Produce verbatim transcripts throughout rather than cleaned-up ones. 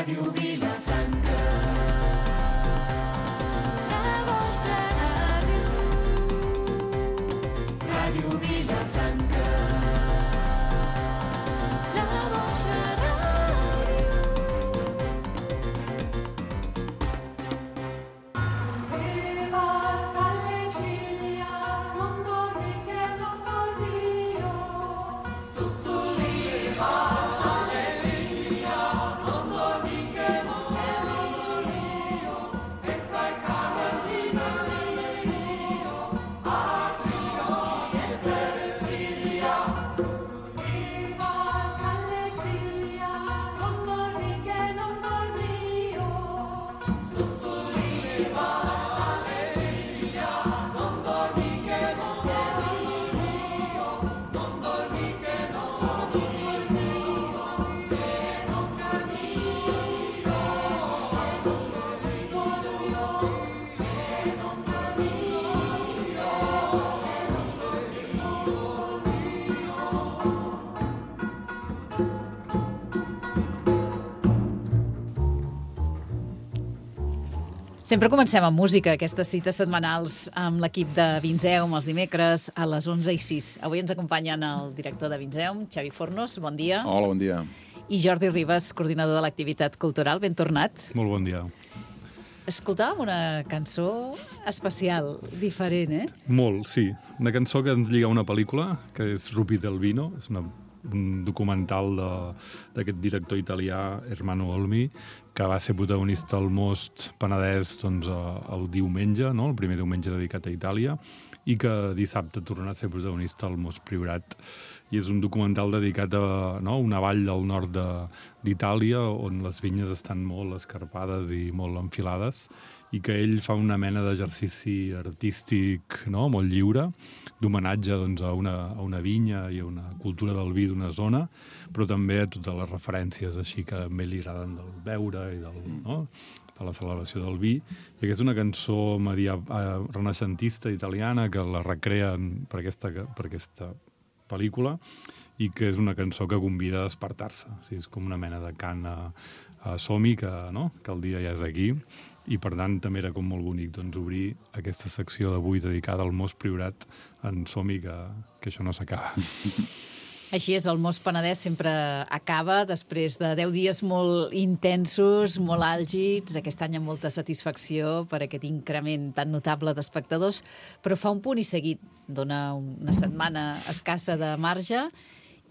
Ràdio Vilafranca. La vostra ràdio. Ràdio Vilafranca. La vostra ràdio. Sollevas alle ciglia, non dormi che non dormio. Sollevas alle ciglia, non dormi che non dormio. E sai Carolina mio, Adrio e Teresiglia. Sollevas alle ciglia, non dormi che non dormio. Sollevas alle ciglia, non dormi che non dormio. Non dormi che non dormio, che non cammino, che non cammino, che non cammino, Sempre comencem amb música, aquestes cites setmanals amb l'equip de Vinzeum els dimecres a les onze i sis. Avui ens acompanyen el director de Vinzeum, Xavi Fornos, bon dia, Hola, bon dia. i Jordi Ribas, coordinador de l'activitat cultural. Ben tornat. Molt bon dia. Escoltàvem una cançó especial, diferent, eh? Molt, sí. Una cançó que ens lliga a una pel·lícula, que és Rupi del Vino, és una, un documental de- d'aquest director italià, Ermanno Olmi, que va ser protagonista al Most Penedès doncs, eh, el diumenge, no? El primer diumenge dedicat a Itàlia, i que dissabte torna a ser protagonista al Most Priorat. I és un documental dedicat a, no, una vall del nord de- d'Itàlia on les vinyes estan molt escarpades i molt enfilades, i que ell fa una mena d'exercici artístic, no?, molt lliure, d'homenatge doncs, a, una, a una vinya i a una cultura del vi d'una zona, però també a totes les referències així que a ell li agraden del beure i del, no?, de la celebració del vi. I aquesta és una cançó media, eh, renaixentista italiana que la recreen per aquesta, per aquesta pel·lícula, i que és una cançó que convida a despertar-se. O sigui, és com una mena de cant a, a som-hi, que, no? que el dia ja és aquí, i per tant també era com molt bonic doncs, obrir aquesta secció d'avui dedicada al Most Priorat en som-hi, que, que això no s'acaba. Així és, el Most Penedès sempre acaba després de deu dies molt intensos, molt àlgids, aquest any amb molta satisfacció per aquest increment tan notable d'espectadors, però fa un punt i seguit, dona una setmana escassa de marge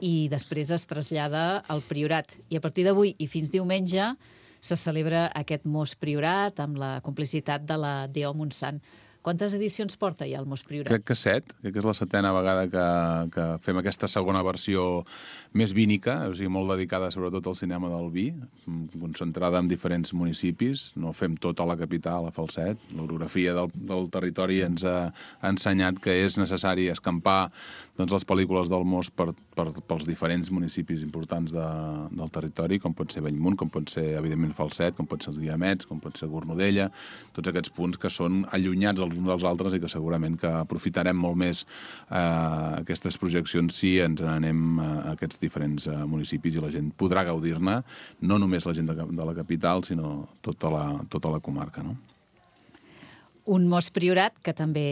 i després es trasllada al Priorat. I a partir d'avui i fins diumenge se celebra aquest Most Priorat amb la complicitat de la D O Montsant. Quantes edicions porta ja el Most Priorat? Crec que set, crec que és la setena vegada que, que fem aquesta segona versió més vínica, o sigui, molt dedicada sobretot al cinema del vi, concentrada en diferents municipis. No fem tot a la capital, a Falset. L'orografia del, del territori ens ha, ha ensenyat que és necessari escampar doncs, les pel·lícules del Most per, per, pels diferents municipis importants de, del territori, com pot ser Bellmunt, com pot ser, evidentment, Falset, com pot ser els Guiamets, com pot ser Cornudella, tots aquests punts que són allunyats els uns dels altres i que segurament que aprofitarem molt més eh, aquestes projeccions si ens n'anem a aquests diferents eh, municipis i la gent podrà gaudir-ne, no només la gent de, de la capital, sinó tota la, tota la comarca, no? Un Most Priorat que també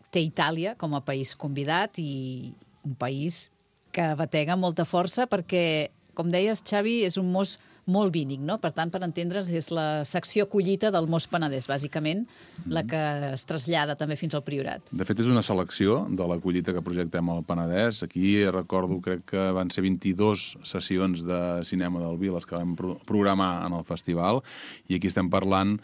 té Itàlia com a país convidat i un país que batega amb molta força perquè, com deies, Xavi, és un most molt vínic, no? Per tant, per entendre'ns, és la secció collita del Most Penedès, bàsicament, la que es trasllada també fins al Priorat. De fet, és una selecció de la collita que projectem al Penedès. Aquí recordo, crec que van ser vint-i-dues sessions de cinema del vi les que vam pro programar en el festival, i aquí estem parlant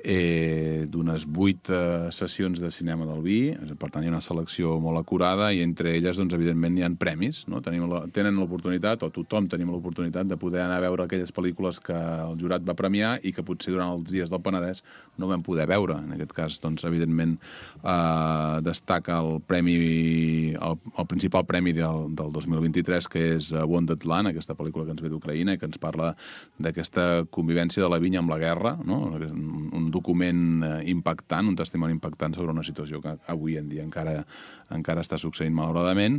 eh, d'unes vuit eh, sessions de cinema del vi. Per tant, hi ha una selecció molt acurada i entre elles, doncs, evidentment, hi ha premis. No? Tenim la, tenen l'oportunitat, o tothom tenim l'oportunitat de poder anar a veure aquelles pel·lícules que el jurat va premiar i que potser durant els dies del Penedès no vam poder veure. En aquest cas, doncs, evidentment, eh, destaca el premi, el, el principal premi del, del dos mil vint-i-tres, que és Wounded Land, aquesta pel·lícula que ens ve d'Ucraïna i que ens parla d'aquesta convivència de la vinya amb la guerra, no? Un, un document impactant, un testimoni impactant sobre una situació que avui en dia encara, encara està succeint malauradament,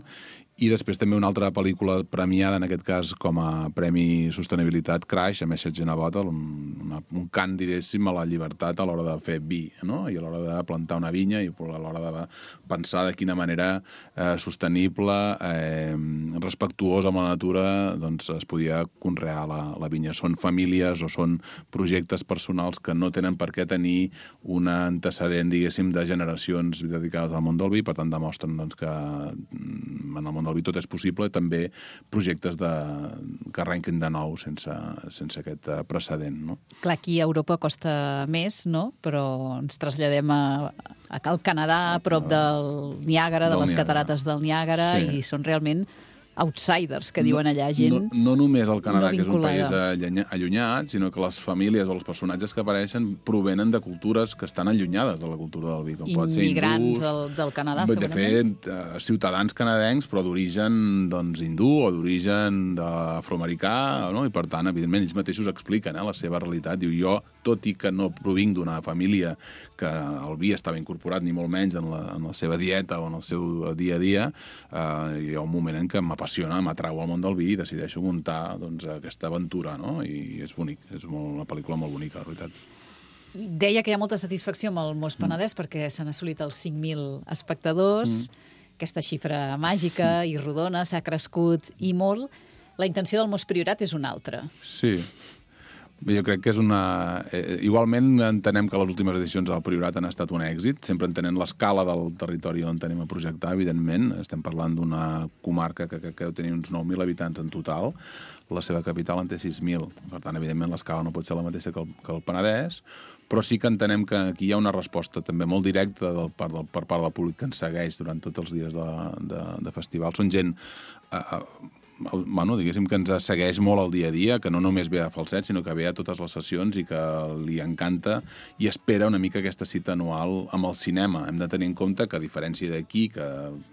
I després també una altra pel·lícula premiada, en aquest cas com a Premi Sostenibilitat, Crash, a Message in a Bottle, un, una, un cant, diguéssim, a la llibertat a l'hora de fer vi, no? I a l'hora de plantar una vinya i a l'hora de pensar de quina manera eh, sostenible, eh, respectuosa amb la natura, doncs es podia conrear la, la vinya. Són famílies o són projectes personals que no tenen per què tenir un antecedent, diguéssim, de generacions dedicades al món del vi, per tant demostren doncs, que en el món del vi tot és possible, també projectes de, que arrenquin de nou sense, sense aquest precedent. No? Clar, aquí a Europa costa més, no? Però ens traslladem a, a al Canadà, a prop del Niàgara, de Del les Niàgara. catarates del Niàgara, Sí. i són realment outsiders, que diuen allà, gent No, no només el Canadà, no que és un país vinculada. allunya- allunyat, sinó que les famílies o els personatges que apareixen provenen de cultures que estan allunyades de la cultura del vi, com pot ser immigrants hindús, del, del Canadà, de segurament. fet, eh, ciutadans canadencs, però d'origen doncs, hindú o d'origen afroamericà, no? I per tant, evidentment, ells mateixos expliquen eh, la seva realitat. Diu, jo, tot i que no provinc d'una família que el vi estava incorporat, ni molt menys en la, en la seva dieta o en el seu dia a dia, eh, hi ha un moment en què m'apassiona, m'atrau al món del vi i decideixo muntar doncs, aquesta aventura, no? I és bonic, és molt, una pel·lícula molt bonica, la veritat. I deia que hi ha molta satisfacció amb el Mos Penedès mm. perquè s'han assolit els cinc mil espectadors, mm. aquesta xifra màgica mm. i rodona, s'ha crescut i molt. La intenció del Mos Priorat és una altra. Sí. Bé, jo crec que és una... Eh, igualment entenem que les últimes edicions del Priorat han estat un èxit, sempre entenent l'escala del territori on tenim a projectar, evidentment. Estem parlant d'una comarca que, que, que deu tenir uns nou mil habitants en total. La seva capital en té sis mil. Per tant, evidentment, l'escala no pot ser la mateixa que el, que el Penedès, però sí que entenem que aquí hi ha una resposta també molt directa del, per, del, per part del públic que ens segueix durant tots els dies de, de, de festival. Són gent... Eh, bueno, diguéssim que ens segueix molt el dia a dia, que no només ve a Falset, sinó que ve a totes les sessions i que li encanta i espera una mica aquesta cita anual amb el cinema. Hem de tenir en compte que, a diferència d'aquí, que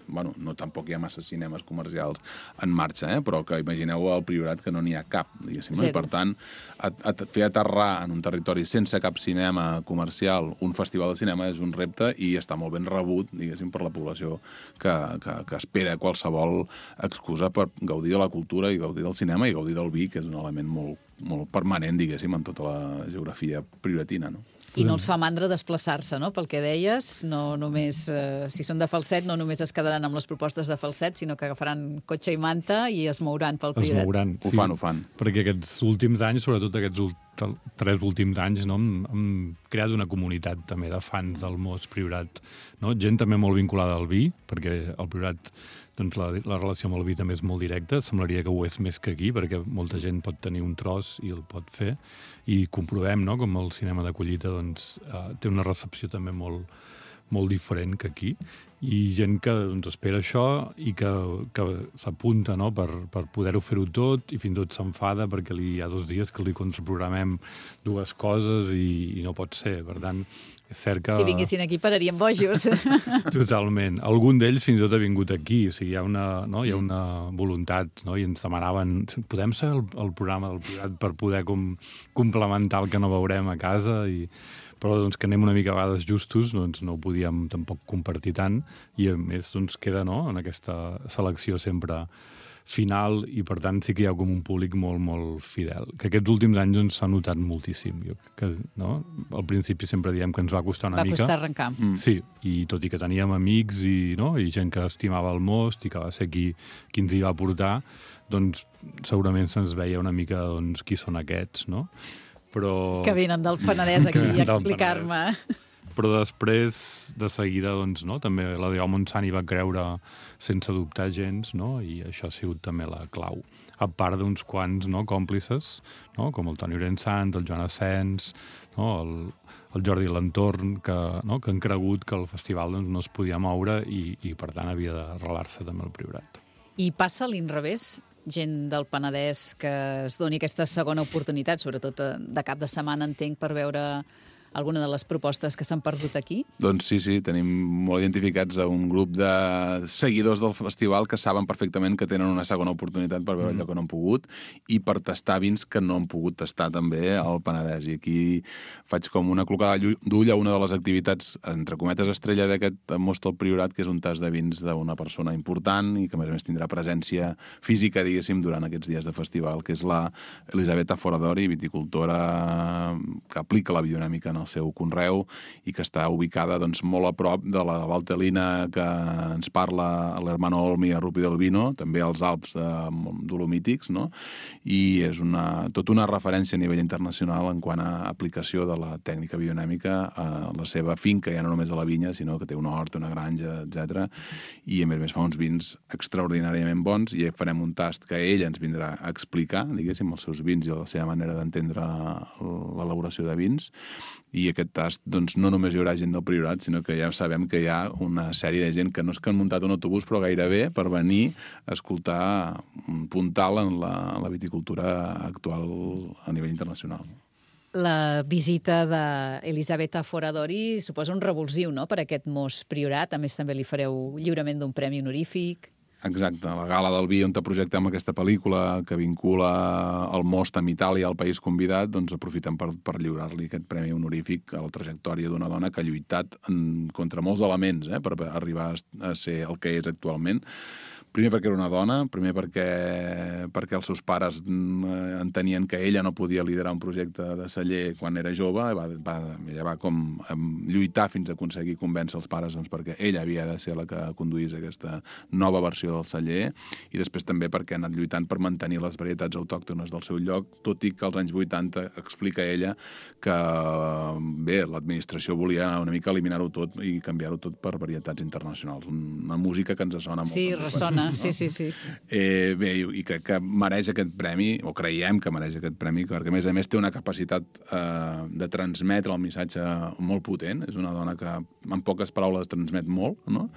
bueno, no tampoc hi ha massa cinemes comercials en marxa, eh? Però que imagineu al Priorat que no n'hi ha cap, diguéssim. No? I per tant, a, a, fer aterrar en un territori sense cap cinema comercial un festival de cinema és un repte i està molt ben rebut, diguéssim, per la població que, que, que espera qualsevol excusa per gaudir de la cultura i gaudir del cinema i gaudir del vi, que és un element molt, molt permanent, diguéssim, en tota la geografia prioratina, no? I no els fa mandra desplaçar-se, no? Pel que deies, no només, eh, si són de Falset, no només es quedaran amb les propostes de Falset, sinó que agafaran cotxe i manta i es mouran pel Es Priorat. mouran, Ho fan, ho fan. Perquè aquests últims anys, sobretot aquests ult- tres últims anys, no, hem, hem creat una comunitat també de fans del Mos Priorat. No? Gent també molt vinculada al vi, perquè el Priorat, doncs la, la relació amb el vi també és molt directa. Semblaria que ho és més que aquí, perquè molta gent pot tenir un tros i el pot fer. I comprovem, no?, com el cinema de collita doncs, eh, té una recepció també molt, molt diferent que aquí, i gent que doncs, espera això i que, que s'apunta, no?, per, per poder-ho fer-ho tot, i fins i tot s'enfada perquè li, hi ha dos dies que li contraprogramem dues coses i, i no pot ser. Per tant, és cert que... Si vinguessin aquí pararíem bojos. Totalment. Algun d'ells fins i tot ha vingut aquí. O sigui, hi ha una, no? hi ha una voluntat, no? I ens demanaven, podem ser el, el programa del Priorat per poder com, complementar el que no veurem a casa, i però doncs, que anem una mica a vegades justos, doncs no ho podíem tampoc compartir tant, i a més doncs, queda, no?, en aquesta selecció sempre final, i per tant sí que hi ha com un públic molt, molt fidel, que aquests últims anys doncs, s'ha notat moltíssim. Jo, que, no? Al principi sempre diem que ens va costar una Va mica. costar arrencar. Mm. Sí, i tot i que teníem amics i, no? i gent que estimava el Most i que va ser qui, qui ens hi va portar, doncs segurament se'ns veia una mica doncs, qui són aquests, no? Però... Que venen del Penedès aquí Que a venen del explicar-me. Però després, de seguida, doncs, no? també la Deo Montsant hi va creure sense dubtar gens, no? I això ha sigut també la clau. A part d'uns quants, no?, còmplices, no?, com el Toni Orensant, el Joan Asens, no?, el, el Jordi Lantorn, que, no?, que han cregut que el festival doncs, no es podia moure i, i per tant havia d'arrelar-se també al Priorat. I passa a l'inrevés? Gent del Penedès que es doni aquesta segona oportunitat, sobretot de cap de setmana, entenc, per veure alguna de les propostes que s'han perdut aquí? Doncs sí, sí, tenim molt identificats a un grup de seguidors del festival que saben perfectament que tenen una segona oportunitat per veure mm. allò que no han pogut i per tastar vins que no han pogut tastar també al Penedès. I aquí faig com una clocada d'ull a una de les activitats, entre cometes, estrella d'aquest Most al Priorat, que és un tast de vins d'una persona important i que, a més a més, tindrà presència física, diguéssim, durant aquests dies de festival, que és la Elisabetta Foradori, viticultora que aplica la biodinàmica en el seu conreu i que està ubicada doncs, molt a prop de la Valtelina que ens parla l'Hermano Olmi a Rupi del Vino, també als Alps de Dolomítics, no? I és una, tota una referència a nivell internacional en quant a aplicació de la tècnica biodinàmica a la seva finca, ja no només a la vinya, sinó que té una horta, una granja, etcètera. I a més a més fa uns vins extraordinàriament bons i farem un tast que ella ens vindrà a explicar, diguéssim, els seus vins i la seva manera d'entendre l'elaboració de vins. I aquest tast, doncs, no només hi haurà gent del Priorat, sinó que ja sabem que hi ha una sèrie de gent que no és que han muntat un autobús, però gairebé per venir a escoltar un puntal en la, en la viticultura actual a nivell internacional. La visita d'Elisabetta Foradori suposa un revulsiu, no?, per aquest Most Priorat. A més, també li fareu lliurament d'un premi honorífic. Exacte, la Gala del Vi, on projectem aquesta pel·lícula que vincula el Most amb Itàlia, el país convidat, doncs aprofitem per, per lliurar-li aquest premi honorífic a la trajectòria d'una dona que ha lluitat en, contra molts elements eh, per arribar a ser el que és actualment. Primer perquè era una dona, primer perquè, perquè els seus pares entenien que ella no podia liderar un projecte de celler quan era jove, i va, va, ella va com lluitar fins a aconseguir convèncer els pares doncs, perquè ella havia de ser la que conduís aquesta nova versió del celler, i després també perquè ha anat lluitant per mantenir les varietats autòctones del seu lloc, tot i que als anys vuitanta explica ella que bé, l'administració volia una mica eliminar-ho tot i canviar-ho tot per varietats internacionals. Una música que ens sona molt. Sí, ressona. No? Sí, sí, sí. Eh, bé, i crec que mereix aquest premi, o creiem que mereix aquest premi, perquè a més a més té una capacitat eh, de transmetre el missatge molt potent. És una dona que en poques paraules transmet molt, no?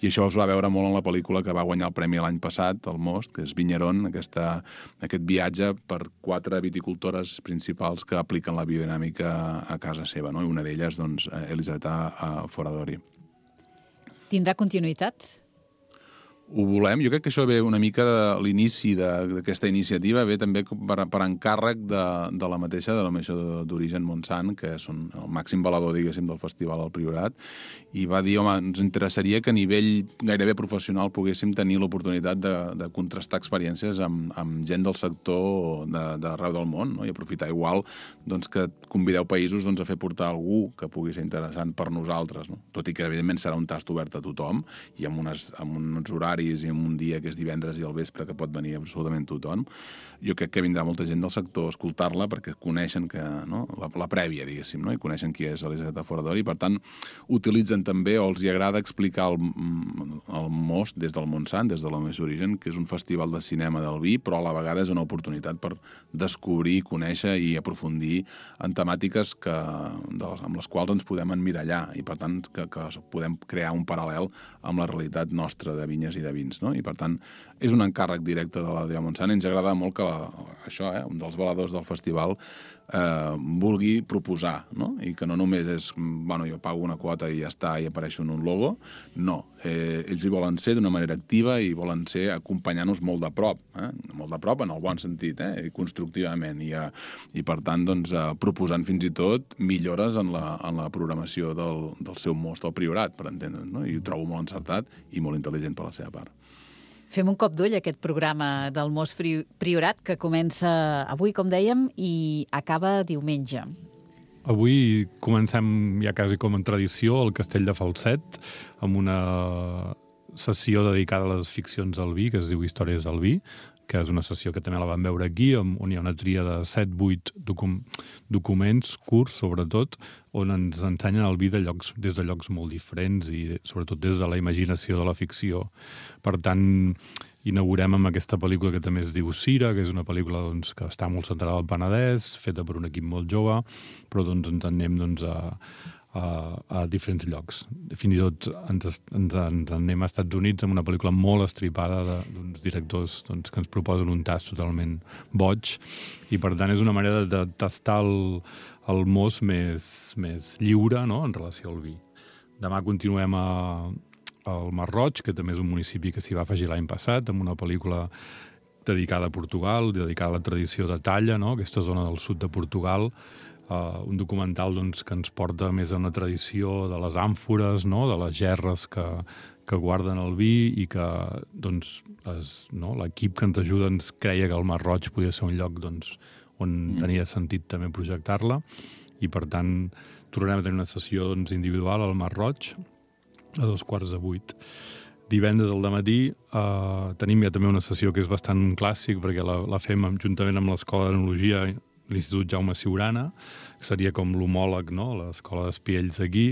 I això es va veure molt en la pel·lícula que va guanyar el premi l'any passat, el Most, que és Vigneron, aquesta, aquest viatge per quatre viticultores principals que apliquen la biodinàmica a casa seva, no? I una d'elles, doncs, Elisabetta Foradori. Tindrà continuïtat? Ho volem. Jo crec que això ve una mica de l'inici d'aquesta iniciativa, ve també per, per encàrrec de, de la mateixa denominació d'origen Montsant, que són el màxim valedor, diguéssim, del festival al Priorat, i va dir, home, ens interessaria que a nivell gairebé professional poguéssim tenir l'oportunitat de, de contrastar experiències amb, amb gent del sector d'arreu del món, no? I aprofitar igual doncs, que convideu països doncs, a fer portar algú que pugui ser interessant per nosaltres, no? Tot i que, evidentment, serà un tast obert a tothom i amb, unes, amb uns horaris i en un dia que és divendres i al vespre que pot venir absolutament tothom. Jo crec que vindrà molta gent del sector a escoltar-la perquè coneixen que, no? la, la prèvia, diguéssim, no? I coneixen qui és Elisabetta Foradori i, per tant, utilitzen també o els hi agrada explicar el, el Most des del Montsant, des de la més origen, que és un festival de cinema del vi, però a la vegada és una oportunitat per descobrir, conèixer i aprofundir en temàtiques que, de les, amb les quals ens podem emmirallar i, per tant, que, que podem crear un paral·lel amb la realitat nostra de vinyes i de vins, no? I per tant és un encàrrec directe de la D O Montsant. Ens agrada molt que la, això, eh, un dels valedors del festival eh, vulgui proposar, no? I que no només és, bueno, jo pago una quota i ja està, i apareixo en un logo. No, eh, ells hi volen ser d'una manera activa i volen ser acompanyant-nos molt de prop, eh? Molt de prop en el bon sentit, eh? I constructivament, i, eh, i per tant doncs, eh, proposant fins i tot millores en la, en la programació del, del seu Most al Priorat, per entendre'ns, no? I ho trobo molt encertat i molt intel·ligent per la seva part. Fem un cop d'ull a aquest programa del Most Priorat que comença avui, com dèiem, i acaba diumenge. Avui comencem ja quasi com en tradició al Castell de Falset amb una sessió dedicada a les ficcions del vi, que es diu Històries del vi, que és una sessió que també la vam veure aquí, on hi ha una tria de set vuit docu documents curts, sobretot, on ens ensenyen el vi de llocs, des de llocs molt diferents i sobretot des de la imaginació de la ficció. Per tant, inaugurem amb aquesta pel·lícula que també es diu Cira, que és una pel·lícula doncs, que està molt centrada al Penedès, feta per un equip molt jove, però doncs, ens anem doncs, a, a, a diferents llocs. Fins i tot ens, ens, ens anem als Estats Units amb una pel·lícula molt estripada de- d'uns directors doncs, que ens proposen un tast totalment boig, i per tant és una manera de, de tastar el, el most més, més lliure, no?, en relació al vi. Demà continuem a, al Masroig, que també és un municipi que s'hi va afegir l'any passat, amb una pel·lícula dedicada a Portugal, dedicada a la tradició de Talla, no?, aquesta zona del sud de Portugal, uh, un documental doncs, que ens porta més a una tradició de les àmfores, no?, de les gerres que, que guarden el vi, i que doncs, es, no?, l'equip que ens ajuda ens creia que el Masroig podia ser un lloc doncs, on mm. tenia sentit també projectar-la, i per tant tornarem a tenir una sessió doncs, individual al Masroig a dos quarts de vuit. Divendres al dematí eh, tenim ja també una sessió que és bastant un clàssic, perquè la, la fem amb, juntament amb l'Escola d'Enologia, l'Institut Jaume Siurana, que seria com l'homòleg, no?, l'Escola d'Espiells aquí,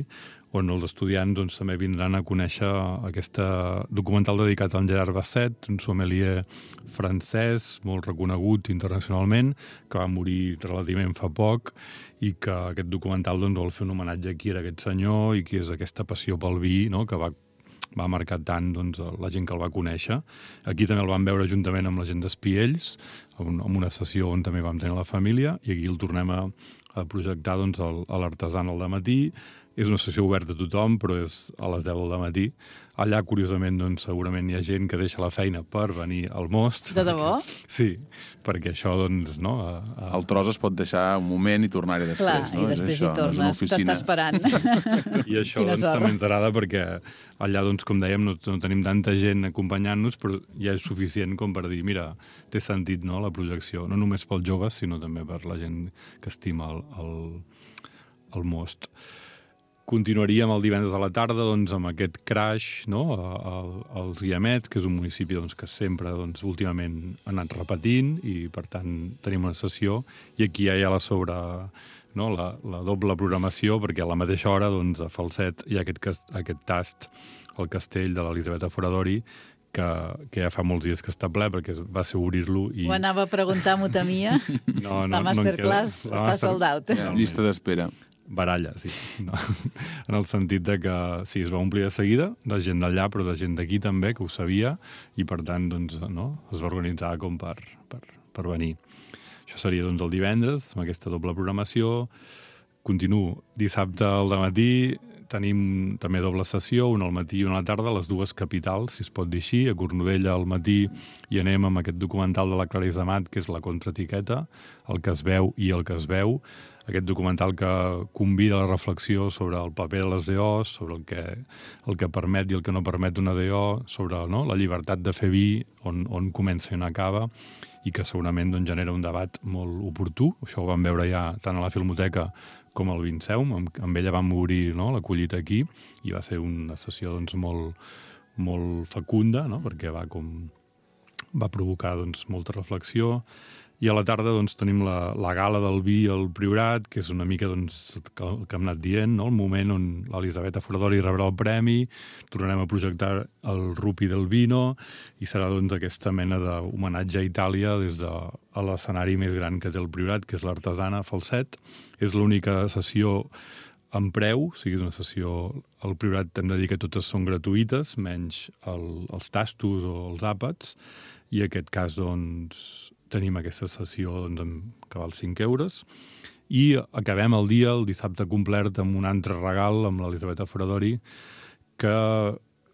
on els estudiants doncs, també vindran a conèixer aquest documental dedicat a en Gerard Basset, un sommelier francès molt reconegut internacionalment, que va morir relativament fa poc, i que aquest documental doncs, vol fer un homenatge aquí a aquest senyor, i que és aquesta passió pel vi, no?, que va va marcar tant doncs, la gent que el va conèixer. Aquí també el vam veure juntament amb la gent d'Espiells, en una sessió on també vam tenir la família, i aquí el tornem a, a projectar doncs, a l'Artesan al dematí. És una sessió oberta a tothom, però és a les deu del matí. Allà, curiosament, doncs, segurament hi ha gent que deixa la feina per venir al most. De debò? Perquè, sí, perquè això, doncs, no... A, a... El tros es pot deixar un moment i tornar-hi després. Clar, no? i després això, hi tornes, no t'està esperant. I això doncs, també ens agrada perquè allà, doncs, com dèiem, no, no tenim tanta gent acompanyant-nos, però ja és suficient com per dir, mira, té sentit, no?, la projecció, no només pels joves, sinó també per la gent que estima el, el, el most. Continuaríem el divendres a la tarda doncs, amb aquest crash, no?, als Guiamets, que és un municipi doncs, que sempre doncs, últimament ha anat repetint, i per tant tenim una sessió, i aquí ja hi ha la sobre, no?, la, la doble programació, perquè a la mateixa hora doncs, a Falset hi ha aquest, aquest tast al castell de l'Elisabeta Foradori, que, que ja fa molts dies que està ple, perquè va ser obrir-lo. I... Ho anava a preguntar, m'ho temia. No, no, la masterclass no està master... sold out. Ja, llista d'espera. Baralla, sí. No. En el sentit de que sí, es va omplir de seguida, de gent d'allà, però de gent d'aquí també, que ho sabia, i per tant doncs, no, es va organitzar com per, per, per venir. Això seria doncs, el divendres, amb aquesta doble programació. Continuo. Dissabte al dematí tenim també doble sessió, una al matí i una a la tarda, a les dues capitals, si es pot dir així. A Cornudella al matí i anem amb aquest documental de la Clarissa Amat, que és La contraetiqueta, el que es veu i el que es veu. Aquest documental que convida a la reflexió sobre el paper de les D Os, sobre el que, el que permet i el que no permet una D O, sobre no, la llibertat de fer vi, on, on comença i on acaba, i que segurament doncs, genera un debat molt oportú. Això ho vam veure ja tant a la Filmoteca com al Vinceum, amb, amb ella vam obrir no, la collita aquí, i va ser una sessió doncs, molt, molt fecunda, no, perquè va, com, va provocar doncs, molta reflexió. I a la tarda doncs, tenim la, la gala del vi al Priorat, que és una mica doncs, que, que hem anat dient, no? El moment on l'Elisabeta Foradori rebrà el premi, tornarem a projectar el Rupi del Vino, i serà doncs, aquesta mena d'homenatge a Itàlia des de l'escenari més gran que té el Priorat, que és l'Artesana Falset. És l'única sessió en preu, o sigui, una sessió al Priorat hem de dir que totes són gratuïtes, menys el, els tastos o els àpats, i en aquest cas, doncs, tenim aquesta sessió doncs, que val cinc euros, i acabem el dia, el dissabte complet, amb un altre regal amb l'Elisabeta Foradori, que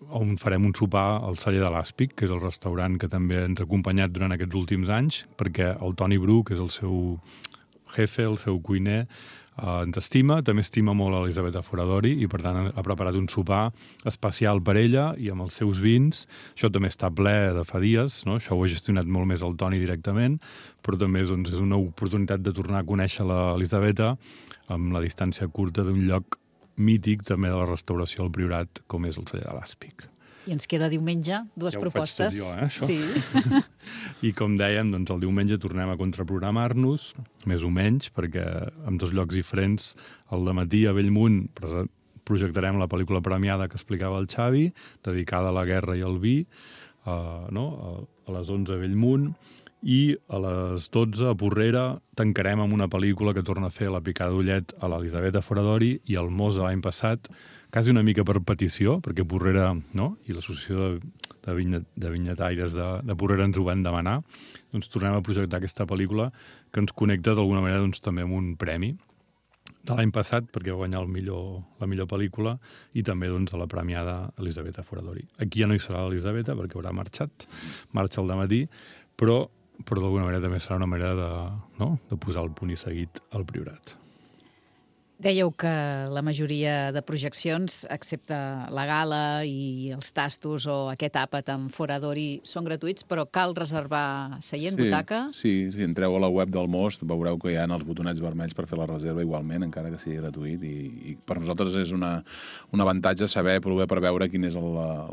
on farem un sopar al Celler de l'Àspic, que és el restaurant que també ens ha acompanyat durant aquests últims anys, perquè el Toni Bru, que és el seu jefe, el seu cuiner, Uh, ens estima, també estima molt l'Elisabeta Foradori, i per tant ha preparat un sopar especial per ella i amb els seus vins. Això també està ple de fa dies, no? Això ho ha gestionat molt més el Toni directament, però també doncs, és una oportunitat de tornar a conèixer l'Elisabeta amb la distància curta d'un lloc mític també de la restauració al Priorat, com és el Celler de l'Àspic. I ens queda diumenge, dues ja propostes. Jo, eh, això? Sí. I com dèiem, doncs, el diumenge tornem a contraprogramar-nos, més o menys, perquè en dos llocs diferents, al dematí a Bellmunt projectarem la pel·lícula premiada que explicava el Xavi, dedicada a la guerra i al vi, uh, no? a les onze a Bellmunt, i a les dotze, a Porrera, tancarem amb una pel·lícula que torna a fer la picada d'ullet a l'Elisabeta Foradori i el Mos de l'any passat, quasi una mica per petició, perquè Porrera, no?, i l'associació de, de, vinyet, de vinyetaires de, de Porrera ens ho van demanar, doncs tornem a projectar aquesta pel·lícula que ens connecta d'alguna manera doncs, també amb un premi de l'any passat, perquè va guanyar el millor, la millor pel·lícula, i també doncs, a la premiada Elisabeta Foradori. Aquí ja no hi serà l'Elisabeta, perquè haurà marxat, marxa al dematí, però, però d'alguna manera també serà una manera de, no? de posar el punt i seguit al Priorat. Dèieu que la majoria de projeccions, excepte la gala i els tastos o aquest àpat amb Foradori, són gratuïts, però cal reservar seient, sí, butaca? Sí, si entreu a la web del Most veureu que hi ha els botonets vermells per fer la reserva igualment, encara que sigui gratuït, i, i per nosaltres és una, un avantatge saber, poder preveure quin és el,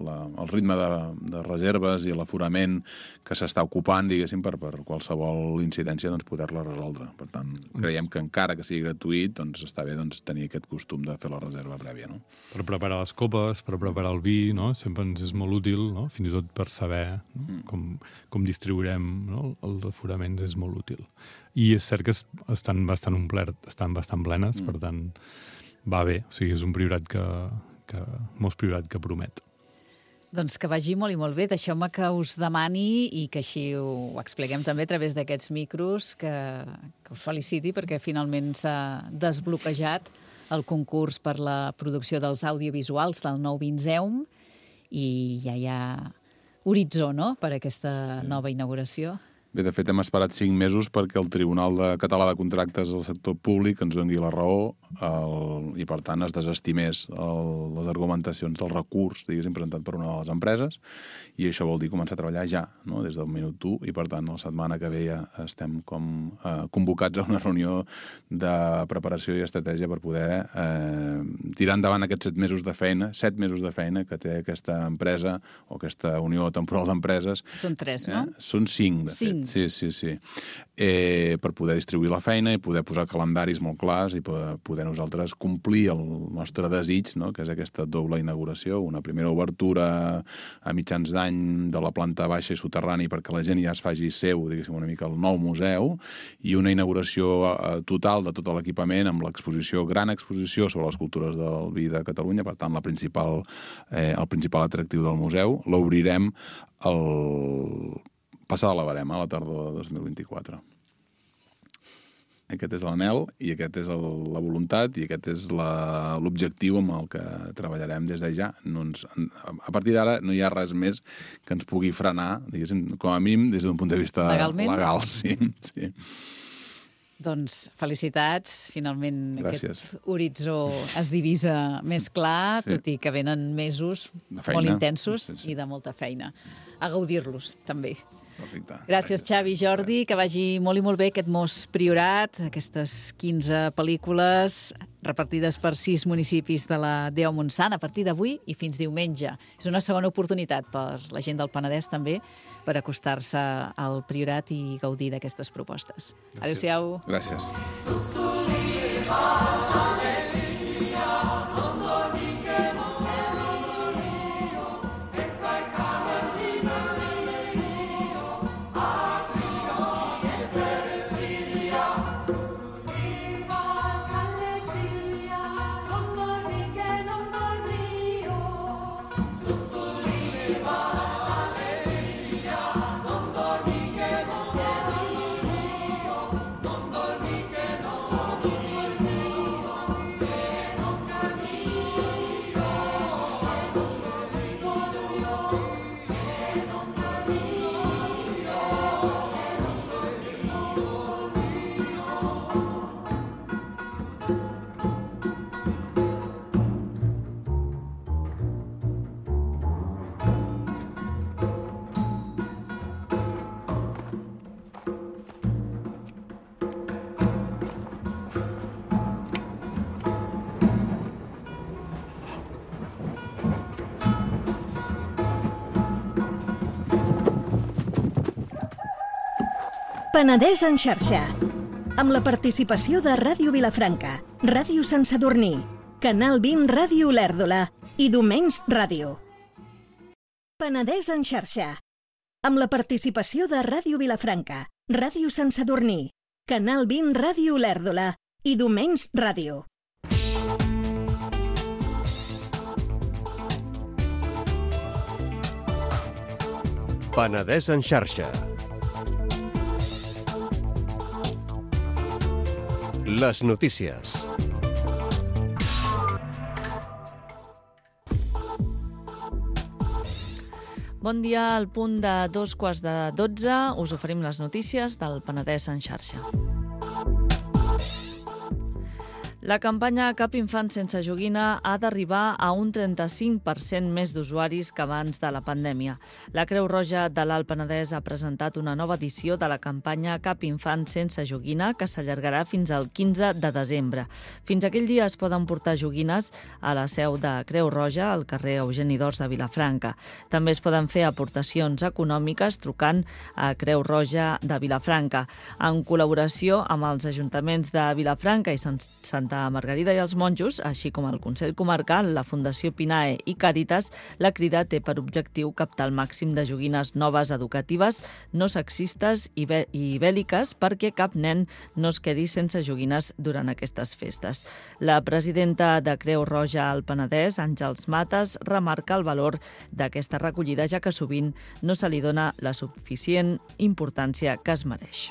la, el ritme de, de reserves i l'aforament que s'està ocupant, diguéssim, per, per qualsevol incidència doncs, poder-la resoldre. Per tant, creiem que encara que sigui gratuït, doncs està bé doncs, tenir aquest costum de fer la reserva prèvia. No? Per preparar les copes, per preparar el vi, no? Sempre ens és molt útil, no? Fins i tot per saber no? mm. com, com distribuirem no? els aforaments és molt útil. I és cert que estan bastant omplert, estan bastant plenes, mm. per tant, va bé. O sigui, és un priorat que, que molt priorat que promet. Doncs que vagi molt i molt bé. Deixeu-me que us demani i que així ho expliquem també a través d'aquests micros, que, que us feliciti perquè finalment s'ha desbloquejat el concurs per la producció dels audiovisuals del nou Vinzeum i ja hi ha horitzó, no?, per aquesta nova inauguració. Bé, de fet, hem esperat cinc mesos perquè el Tribunal de Català de Contractes del Sector Públic ens doni la raó el, i, per tant, es desestimés el, les argumentacions del recurs, diguéssim, presentat per una de les empreses, i això vol dir començar a treballar ja, no?, des del minut u, i, per tant, la setmana que ve ja estem com eh, convocats a una reunió de preparació i estratègia per poder eh, tirar endavant aquests set mesos de feina, set mesos de feina que té aquesta empresa o aquesta unió temporal d'empreses. Són tres, no? Eh? Són cinc, de fet. Sí, sí, sí. Eh, per poder distribuir la feina i poder posar calendaris molt clars i poder, poder nosaltres complir el nostre desig, no?, que és aquesta doble inauguració, una primera obertura a mitjans d'any de la planta baixa i soterrani perquè la gent ja es faci seu, diguéssim, una mica el nou museu, i una inauguració eh, total de tot l'equipament amb l'exposició, gran exposició sobre les cultures del vi de Catalunya, per tant, la principal, eh, el principal atractiu del museu. L'obrirem el passada la barema, a la tardor de dos mil vint-i-quatre. Aquest és l'anhel i aquest és el, la voluntat i aquest és l'objectiu amb el que treballarem des de ja. No ens, a partir d'ara no hi ha res més que ens pugui frenar, diguéssim, com a mínim des d'un punt de vista legalment? Legal. Sí, sí. Doncs felicitats, finalment Gràcies. Aquest horitzó es divisa més clar, sí. tot i que venen mesos molt intensos sí, sí. i de molta feina. A gaudir-los, també. Perfecte. Gràcies, Xavi, Jordi, que vagi molt i molt bé aquest Mos Priorat, aquestes quinze pel·lícules repartides per sis municipis de la Déu Montsant a partir d'avui i fins diumenge. És una segona oportunitat per la gent del Penedès també per acostar-se al Priorat i gaudir d'aquestes propostes. Adéu-siau. Gràcies. Penedès en xarxa, amb la participació de Ràdio Vilafranca, Ràdio Sant Sadurní, Canal vint Ràdio Olèrdola i Domenys Ràdio. Penedès en xarxa. amb la participació de Ràdio Vilafranca, Ràdio Sant Sadurní, Canal vint Ràdio Olèrdola i Domenys Ràdio. Penedès en xarxa. Les notícies. Bon dia, al punt de dos quarts de dotze us oferim les notícies del Penedès en xarxa. La campanya Cap infant sense joguina ha d'arribar a un trenta-cinc per cent més d'usuaris que abans de la pandèmia. La Creu Roja de l'Alt Penedès ha presentat una nova edició de la campanya Cap infant sense joguina que s'allargarà fins al quinze de desembre. Fins aquell dia es poden portar joguines a la seu de Creu Roja, al carrer Eugeni d'Ors de Vilafranca. També es poden fer aportacions econòmiques trucant a Creu Roja de Vilafranca. En col·laboració amb els ajuntaments de Vilafranca i Santa Margarida i els Monjos, així com el Consell Comarcal, la Fundació Pinae i Càritas, la crida té per objectiu captar el màxim de joguines noves educatives, no sexistes i, i bèl·liques perquè cap nen no es quedi sense joguines durant aquestes festes. La presidenta de Creu Roja al Penedès, Àngels Mates, remarca el valor d'aquesta recollida, ja que sovint no se li dona la suficient importància que es mereix.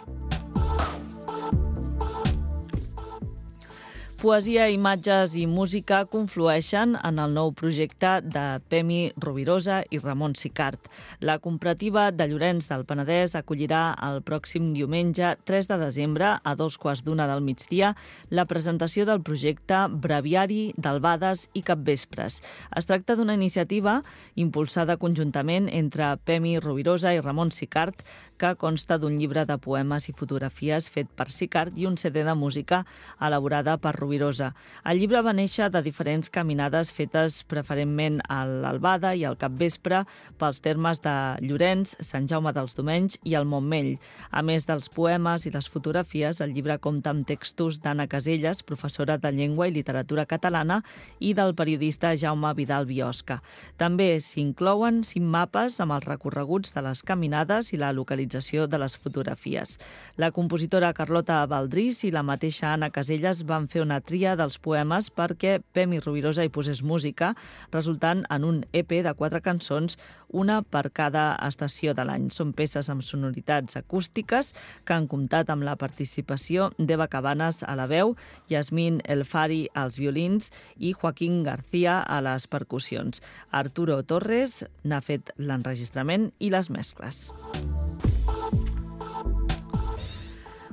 Poesia, imatges i música conflueixen en el nou projecte de Pemi Rovirosa i Ramon Sicart. La Comparativa de Llorenç del Penedès acollirà el pròxim diumenge tres de desembre a dos quarts d'una del migdia la presentació del projecte Breviari d'Albades i Capvespres. Es tracta d'una iniciativa impulsada conjuntament entre Pemi Rovirosa i Ramon Sicart, que consta d'un llibre de poemes i fotografies fet per Sicart i un C D de música elaborada per Rovirosa. El llibre va néixer de diferents caminades fetes preferentment a l'Albada i al Capvespre pels termes de Llorenç, Sant Jaume dels Domenys i el Montmell. A més dels poemes i les fotografies, el llibre compta amb textos d'Anna Caselles, professora de Llengua i Literatura Catalana, i del periodista Jaume Vidal Biosca. També s'inclouen cinc mapes amb els recorreguts de les caminades i la localització de les fotografies. La compositora Carlota Baldrís i la mateixa Anna Caselles van fer una tria dels poemes perquè Pemi Rovirosa hi posés música, resultant en un E P de quatre cançons, una per cada estació de l'any. Són peces amb sonoritats acústiques que han comptat amb la participació d'Eva Cabanes a la veu, Yasmín El Fari als violins i Joaquín García a les percussions. Arturo Torres n'ha fet l'enregistrament i les mescles.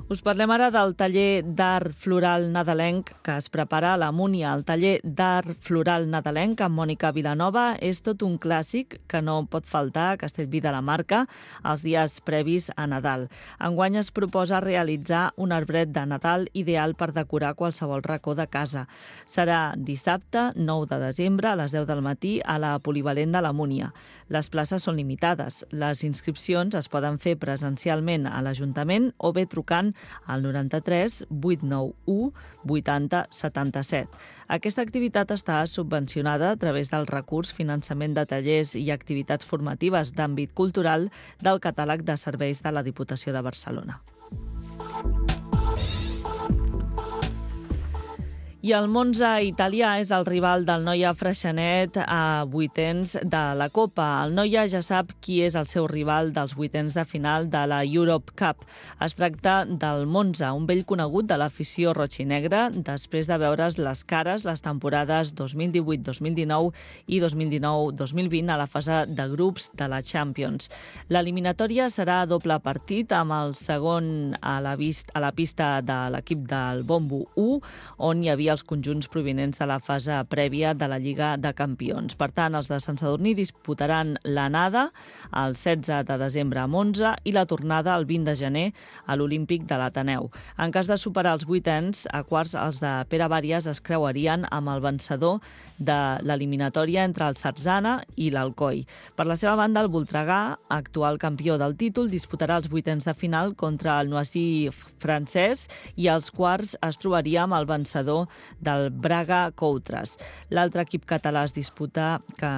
Us parlem ara del taller d'art floral nadalenc que es prepara a la Múnia. El taller d'art floral nadalenc amb Mònica Vilanova és tot un clàssic que no pot faltar a Castellví de la Marca els dies previs a Nadal. Enguany es proposa realitzar un arbret de Nadal ideal per decorar qualsevol racó de casa. Serà dissabte, nou de desembre, a les deu del matí, a la Polivalent de la Múnia. Les places són limitades. Les inscripcions es poden fer presencialment a l'Ajuntament o bé trucant al noranta-tres vuit nou u vuitanta setanta-set. Aquesta activitat està subvencionada a través del recurs Finançament de tallers i activitats formatives d'àmbit cultural del catàleg de serveis de la Diputació de Barcelona. I el Monza italià és el rival del Noia Freixenet a vuitens de la Copa. El Noia ja sap qui és el seu rival dels vuitens de final de la Europe Cup. Es tracta del Monza, un vell conegut de l'afició roig i negra, després de veure's les cares les temporades dos mil divuit dos mil dinou i dos mil dinou dos mil vint a la fase de grups de la Champions. L'eliminatòria serà a doble partit amb el segon a la, vist, a la pista de l'equip del Bombo u, on hi havia els conjunts provinents de la fase prèvia de la Lliga de Campions. Per tant, els de Sant Sadurní disputaran l'anada el setze de desembre a Monza i la tornada el vint de gener a l'Olímpic de l'Ateneu. En cas de superar els vuitens, a quarts els de Pere Bàries es creuarien amb el vencedor de l'eliminatòria entre el Sarzana i l'Alcoi. Per la seva banda, el Voltregà, actual campió del títol, disputarà els vuitens de final contra el Noisy francès i als quarts es trobaria amb el vencedor del Braga Coutras. L'altre equip català es disputa, que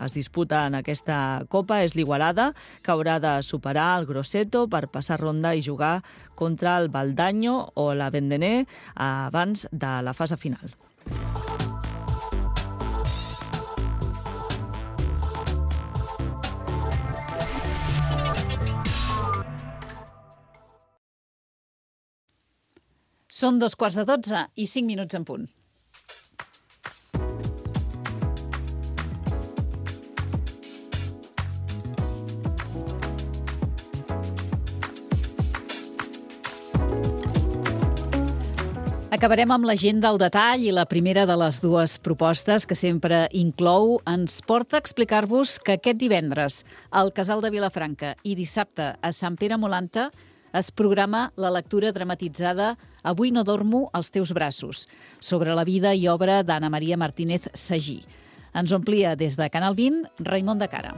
es disputa en aquesta Copa és l'Igualada, que haurà de superar el Grosseto per passar ronda i jugar contra el Valdaño o la Vendené abans de la fase final. Són dos quarts de dotze i cinc minuts en punt. Acabarem amb la gent del detall i la primera de les dues propostes que sempre inclou ens porta a explicar-vos que aquest divendres al Casal de Vilafranca i dissabte a Sant Pere Molanta es programa la lectura dramatitzada Avui no dormo als teus braços, sobre la vida i obra d'Anna Maria Martínez Sagí. Ens ho amplia des de Canal vint, Raimon de Cara.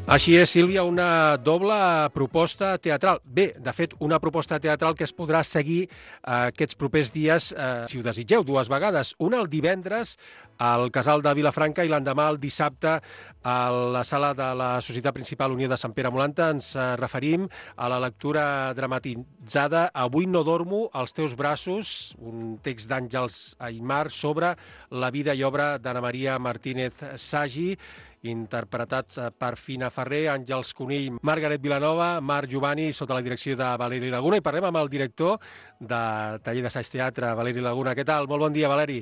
Així és, Sílvia, una doble proposta teatral. Bé, de fet, una proposta teatral que es podrà seguir eh, aquests propers dies, eh, si ho desitgeu, dues vegades. Una el divendres al Casal de Vilafranca i l'endemà el dissabte a la sala de la Societat Principal Unió de Sant Pere Molanta. Ens eh, referim a la lectura dramatitzada Avui no dormo als teus braços, un text d'Àngels Aymar sobre la vida i obra d'Anna Maria Martínez Sagí, interpretats per Fina Ferrer, Àngels Conill, Margaret Vilanova, Marc Giovanni, sota la direcció de Valeri Laguna. I parlem amb el director de Taller d'Assaig Teatre, Valeri Laguna. Què tal? Molt bon dia, Valeri.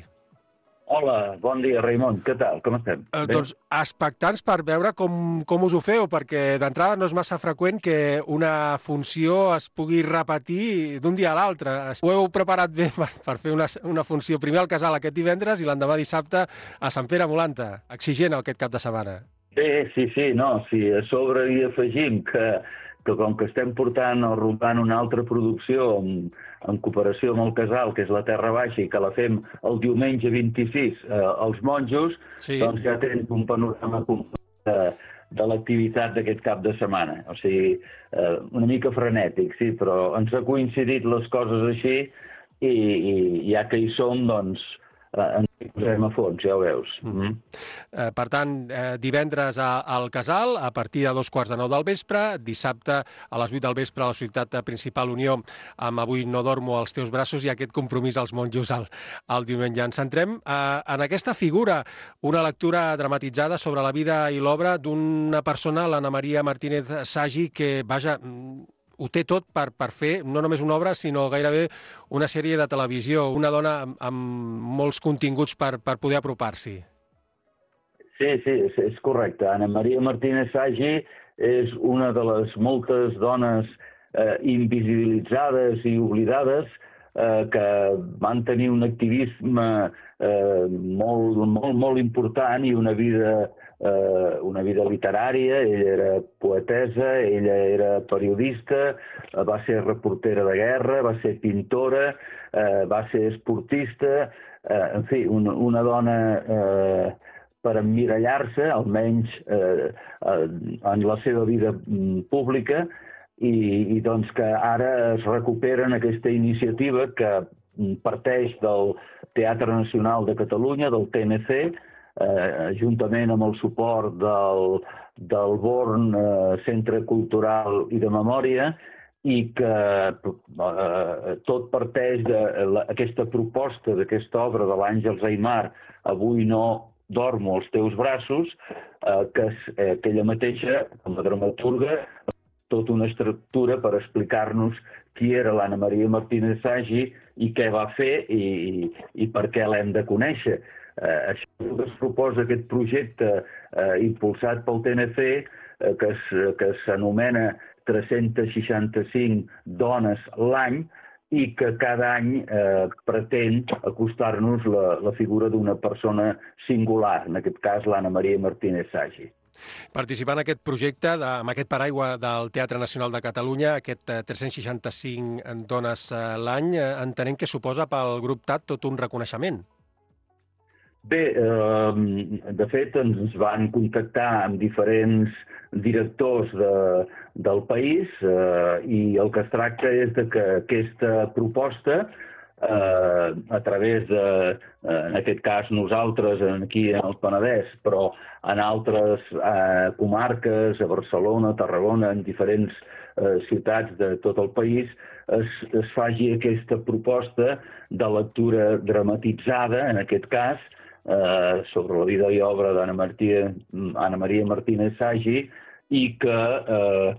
Hola, bon dia, Raimon. Què tal? Com estem? Eh, doncs expectants per veure com, com us ho feu, perquè d'entrada no és massa freqüent que una funció es pugui repetir d'un dia a l'altre. Ho heu preparat bé per, per fer una, una funció primer al Casal aquest divendres i l'endemà dissabte a Sant Pere Molanta. Exigent aquest cap de setmana. Bé, sí, sí, no, sí, a sobre hi afegim que, que com que estem portant o rompant una altra producció en, en cooperació amb el Casal, que és la Terra Baixa, i que la fem el diumenge vint-i-sis eh, als monjos, sí. Doncs ja tens un panorama de, de l'activitat d'aquest cap de setmana. O sigui, eh, una mica frenètic, sí, però ens ha coincidit les coses així i, i ja que hi som, doncs, ens hi posem a fons, ja ho veus. Mm-hmm. eh, per tant, eh, divendres a, al Casal, a partir de dos quarts de nou del vespre, dissabte a les vuit del vespre a la Societat Principal Unió amb Avui no dormo als teus braços i aquest compromís als monjos al, al diumenge. Ens centrem eh, en aquesta figura, una lectura dramatitzada sobre la vida i l'obra d'una persona, l'Anna Maria Martínez Sagí, que, vaja, ho té tot per, per fer no només una obra, sinó gairebé una sèrie de televisió, una dona amb, amb molts continguts per, per poder apropar-s'hi. Sí, sí, és, és correcte. Anna Maria Martínez Sagí és una de les moltes dones eh, invisibilitzades i oblidades eh, que van tenir un activisme eh, molt, molt, molt important i una vida Uh, una vida literària. Ella era poetesa, ella era periodista, uh, va ser reportera de guerra, va ser pintora, uh, va ser esportista, uh, en fi, una, una dona uh, per emmirallar-se, almenys uh, uh, en la seva vida um, pública, i, i doncs que ara es recupera en aquesta iniciativa que parteix del Teatre Nacional de Catalunya, del T N C, Eh, juntament amb el suport del, del Born eh, Centre Cultural i de Memòria, i que eh, tot parteix d'aquesta proposta, d'aquesta obra de l'Àngels Aymar, Avui no dormo als teus braços, eh, que, eh, que ella mateixa, com a dramaturga, tota una estructura per explicar-nos qui era l'Anna Maria Martínez Sagí i què va fer i, i per què l'hem de conèixer. Eh, això es proposa aquest projecte eh, impulsat pel T N C eh, que, que s'anomena tres-cents seixanta-cinc dones l'any i que cada any eh, pretén acostar-nos la, la figura d'una persona singular, en aquest cas l'Anna Maria Martínez Sagí. Participant en aquest projecte, de, amb aquest paraigua del Teatre Nacional de Catalunya, aquest eh, tres-cents seixanta-cinc dones eh, l'any, eh, entenem que suposa pel grup T A T tot un reconeixement. Bé, eh, de fet ens van contactar amb diferents directors de, del país eh, i el que es tracta és de que aquesta proposta eh, a través de, eh, en aquest cas nosaltres aquí en el Penedès, però en altres eh, comarques, a Barcelona, a Tarragona, en diferents eh, ciutats de tot el país, es, es faci aquesta proposta de lectura dramatitzada, en aquest cas, eh, sobre la vida i obra d'Anna Maria, Anna Maria Martínez Sagi, i que eh,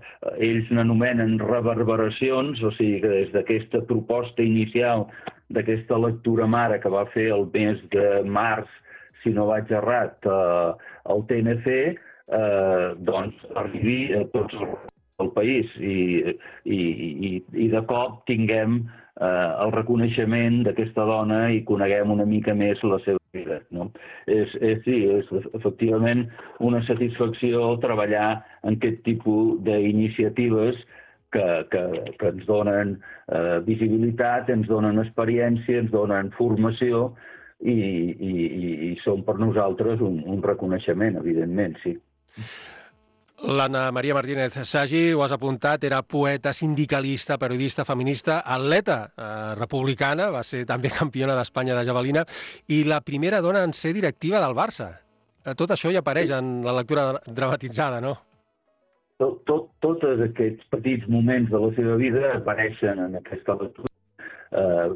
ells n'anomenen reverberacions, o sigui que des d'aquesta proposta inicial, d'aquesta lectura mare que va fer el mes de març, si no vaig errat, eh, el T N C, eh, doncs arribi a tots el país i, i, i, i de cop tinguem eh, el reconeixement d'aquesta dona i coneguem una mica més la seva vida. No? És, és, sí, és efectivament una satisfacció treballar en aquest tipus d'iniciatives que, que, que ens donen eh, visibilitat, ens donen experiència, ens donen formació i, i, i són per nosaltres un, un reconeixement, evidentment, sí. L'Anna Maria Martínez Sagi, ho has apuntat, era poeta, sindicalista, periodista, feminista, atleta eh, republicana, va ser també campiona d'Espanya de javelina i la primera dona en ser directiva del Barça. Tot això hi apareix en la lectura dramatitzada, no? Tot, tot, tots aquests petits moments de la seva vida apareixen en aquesta lectura. Uh,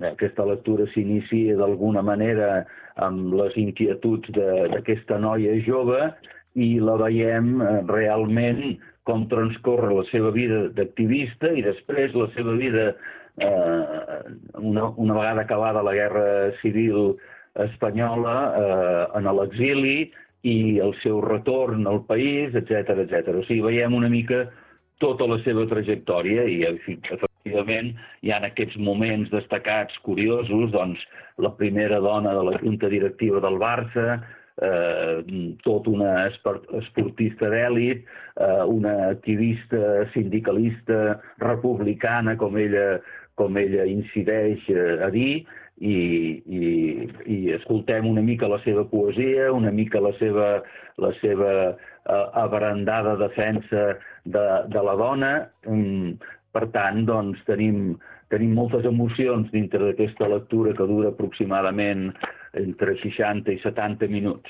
aquesta lectura s'inicia d'alguna manera amb les inquietuds d'aquesta noia jove i la veiem uh, realment com transcorre la seva vida d'activista i després la seva vida, uh, una, una vegada acabada la Guerra Civil Espanyola, uh, en l'exili i el seu retorn al país, etcètera, etcètera. O sigui, veiem una mica tota la seva trajectòria i, efectivament, hi ha aquests moments destacats, curiosos, doncs, la primera dona de la junta directiva del Barça, eh, tot una esportista d'èlit, eh, una activista sindicalista republicana, com ella, com ella incideix a dir, i, i, i escoltem una mica la seva poesia, una mica la seva, la seva eh, abrandada defensa de, de la dona. Per tant, doncs, tenim, tenim moltes emocions dintre d'aquesta lectura que dura aproximadament entre seixanta i setanta minuts.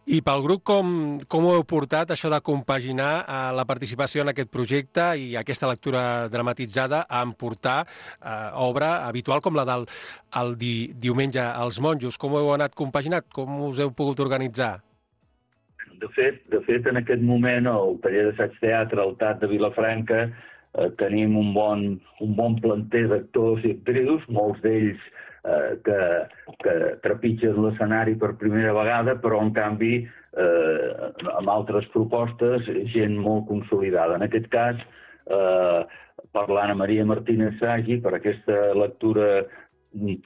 I pel grup, com, com ho heu portat, això de compaginar eh, la participació en aquest projecte i aquesta lectura dramatitzada amb portar eh, obra habitual com la del el di, diumenge als monjos? Com ho heu anat compaginat? Com us heu pogut organitzar? De fet, de fet en aquest moment, al taller d'assaig teatre al T A T de Vilafranca, eh, tenim un bon, un bon planter d'actors i actrius, molts d'ells eh, que, que trepitgen l'escenari per primera vegada, però en canvi eh, amb altres propostes, gent molt consolidada. En aquest cas, eh, per l'Anna Maria Martínez Sagi, per aquesta lectura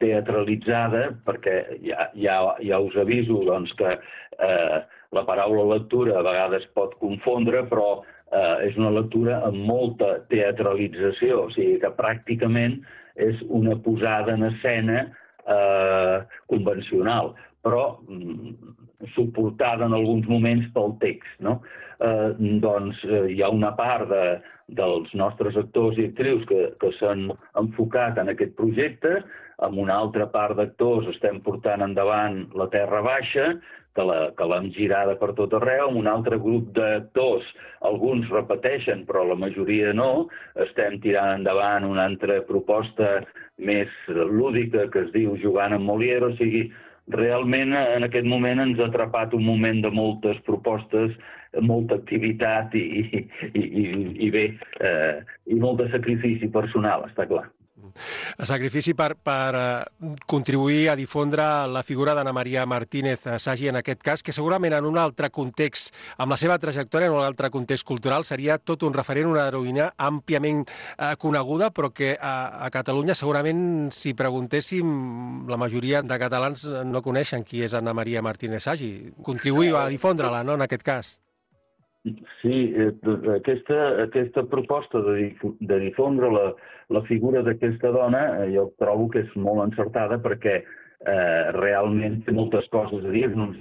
teatralitzada, perquè ja, ja, ja us aviso doncs, que eh, la paraula lectura a vegades pot confondre, però eh, és una lectura amb molta teatralització, o sigui que pràcticament és una posada en escena eh, convencional, però mm, suportada en alguns moments pel text, no? Eh, doncs eh, hi ha una part de, dels nostres actors i actrius que, que s'han enfocat en aquest projecte, amb una altra part d'actors estem portant endavant La Terra Baixa, que l'hem girada per tot arreu, amb un altre grup d'actors, alguns repeteixen, però la majoria no, estem tirant endavant una altra proposta més lúdica que es diu Jugant amb Molière, o sigui, realment en aquest moment ens ha atrapat un moment de moltes propostes, molta activitat i, i, i, i bé, eh, i molt de sacrifici personal, està clar. Sacrifici per, per contribuir a difondre la figura d'Anna Maria Martínez Sagi en aquest cas, que segurament en un altre context, amb la seva trajectòria en un altre context cultural, seria tot un referent, una heroïna àmpliament eh, coneguda, però que a, a Catalunya segurament, si preguntéssim, la majoria de catalans no coneixen qui és Anna Maria Martínez Sagi. Contribuïu a difondre-la, no?, en aquest cas. Sí, aquesta, aquesta proposta de, de difondre la, la figura d'aquesta dona jo trobo que és molt encertada perquè eh, realment té moltes coses a dir-nos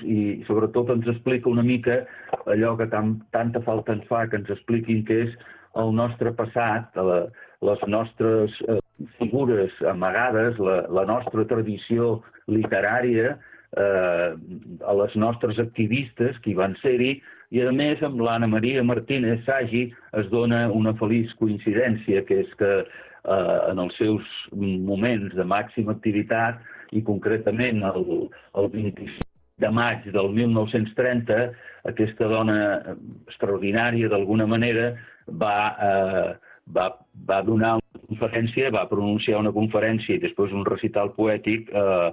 i sobretot ens explica una mica allò que tan, tanta falta ens fa, que ens expliquin què és el nostre passat, la, les nostres eh, figures figures amagades, la, la nostra tradició literària, eh, a les nostres activistes que hi van ser-hi, i a més amb l'Anna Maria Martínez Sagi es dona una feliç coincidència, que és que eh, en els seus moments de màxima activitat, i concretament el, el vint-i-cinc de maig del mil nou-cents trenta, aquesta dona extraordinària d'alguna manera va, eh, va, va donar una conferència, va pronunciar una conferència i després un recital poètic eh,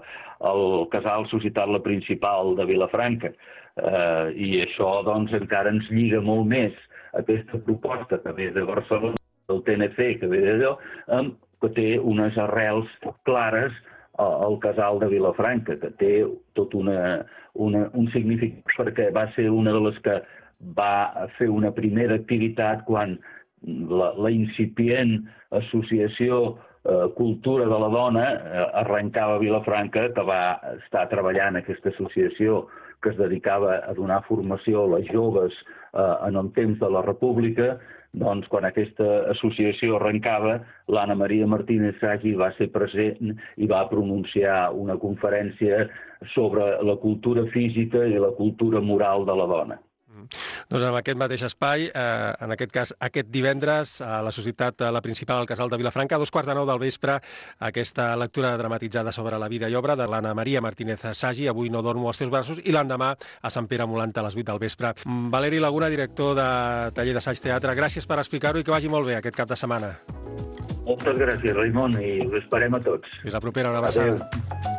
al Casal Societat La Principal de Vilafranca. Eh, I això doncs encara ens lliga molt més aquesta proposta que ve de Barcelona, del T N C, que ve d'allò, eh, que té unes arrels clares al Casal de Vilafranca, que té tot una, una, un significat, perquè va ser una de les que va fer una primera activitat quan la, la incipient associació eh, Cultura de la Dona eh, arrencava a Vilafranca, que va estar treballant aquesta associació que es dedicava a donar formació a les joves eh, en el temps de la República. Doncs quan aquesta associació arrencava, l'Anna Maria Martínez Sagi va ser present i va pronunciar una conferència sobre la cultura física i la cultura moral de la dona. Doncs en aquest mateix espai, eh, en aquest cas aquest divendres, a la Societat La Principal al Casal de Vilafranca, a dos quarts de nou del vespre, aquesta lectura dramatitzada sobre la vida i obra de l'Anna Maria Martínez Sagi, Avui no dormo als teus braços, i l'endemà a Sant Pere Molant a les vuit del vespre. Valeri Laguna, director de Taller d'Assaig Teatre, gràcies per explicar-ho i que vagi molt bé aquest cap de setmana. Moltes gràcies, Raimon, i us esperem a tots. Fins la propera, una abraçada. Adéu.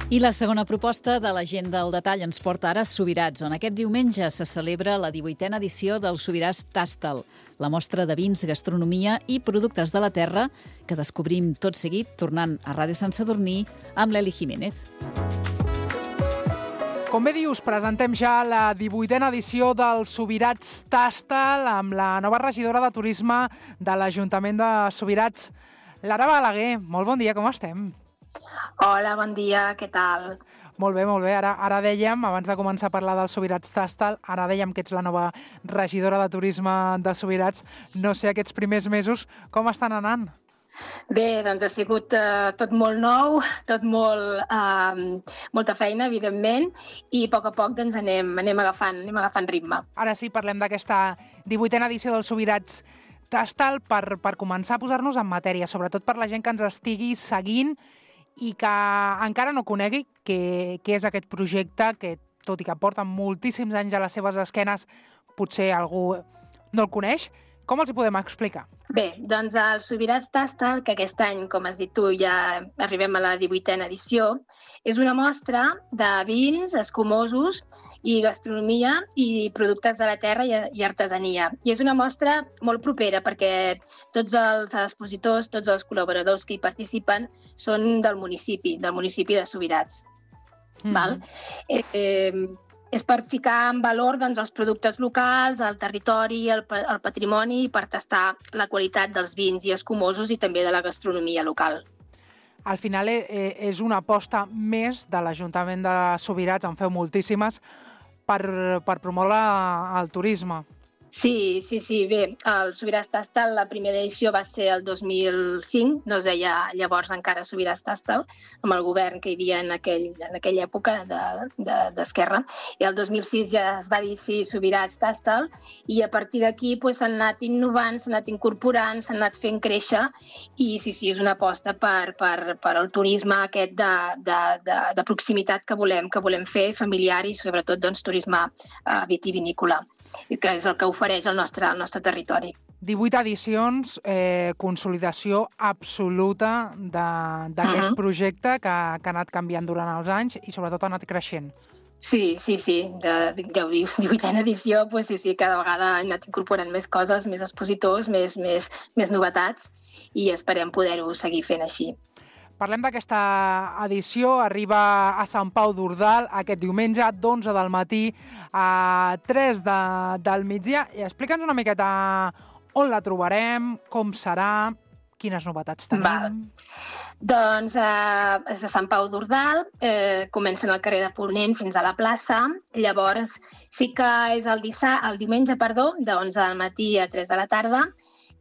I la segona proposta de l'agenda al detall ens porta ara a Subirats, on aquest diumenge se celebra la divuitena edició del Subirats Tastal, la mostra de vins, gastronomia i productes de la terra que descobrim tot seguit tornant a Ràdio Sant Sadurní amb l'Eli Jiménez. Com bé dius, presentem ja la divuitena edició del Subirats Tastal amb la nova regidora de Turisme de l'Ajuntament de Subirats, Lara Balaguer. Molt bon dia, com estem? Hola, bon dia, què tal? Molt bé, molt bé. Ara, ara dèiem, abans de començar a parlar del Subirats Tastal, ara dèiem que ets la nova regidora de Turisme de Subirats. No sé, aquests primers mesos, com estan anant? Bé, doncs ha sigut eh, tot molt nou, tot molt, eh, molta feina, evidentment, i a poc a poc doncs, anem, anem, agafant, anem agafant ritme. Ara sí, parlem d'aquesta divuitena edició del Subirats Tastal per, per començar a posar-nos en matèria, sobretot per la gent que ens estigui seguint i que encara no conegui què, què és aquest projecte, que tot i que porta moltíssims anys a les seves esquenes, potser algú no el coneix. Com els hi podem explicar? Bé, doncs el Subirats Tastal, que aquest any, com has dit tu, ja arribem a la divuitena edició, és una mostra de vins, escumosos i gastronomia i productes de la terra i, i artesania. I és una mostra molt propera perquè tots els expositors, tots els col·laboradors que hi participen són del municipi, del municipi de Subirats. Mm-hmm. Val? Eh, eh, és per ficar en valor doncs, els productes locals, el territori, el, el patrimoni, i per tastar la qualitat dels vins i escumosos i també de la gastronomia local. Al final eh, és una aposta més de l'Ajuntament de Subirats, en feu moltíssimes, per, per promoure el turisme. Sí, sí, sí. Bé, el Subirats Tastal, la primera edició va ser el dos mil cinc, no es deia llavors encara Subirats Tastal, amb el govern que hi havia en, aquell, en aquella època d'Esquerra. De, de, I el dos mil sis ja es va dir sí, Subirats Tastal, i a partir d'aquí pues, s'han anat innovant, s'han anat incorporant, s'han anat fent créixer, i sí, sí, és una aposta per, per, per el turisme aquest de, de, de, de proximitat que volem, que volem fer, familiar i sobretot doncs, turisme uh, vitivinícola, que és el que ofereix el nostre, el nostre territori. divuit edicions, eh, consolidació absoluta d'aquest uh-huh. projecte que, que ha anat canviant durant els anys i sobretot ha anat creixent. Sí, sí, sí, de, ja ho dius, divuitena edició, pues sí, sí, cada vegada han anat incorporant més coses, més expositors, més, més, més novetats i esperem poder-ho seguir fent així. Parlem d'aquesta edició, arriba a Sant Pau d'Ordal aquest diumenge, d'onze del matí a tres de, del migdia. Explica'ns una miqueta on la trobarem, com serà, Quines novetats tenim? Val. Doncs eh, és de Sant Pau d'Ordal, eh, comencen al carrer de Ponent fins a la plaça. Llavors sí que és el, dissa- el diumenge, perdó, de onze del matí a tres de la tarda,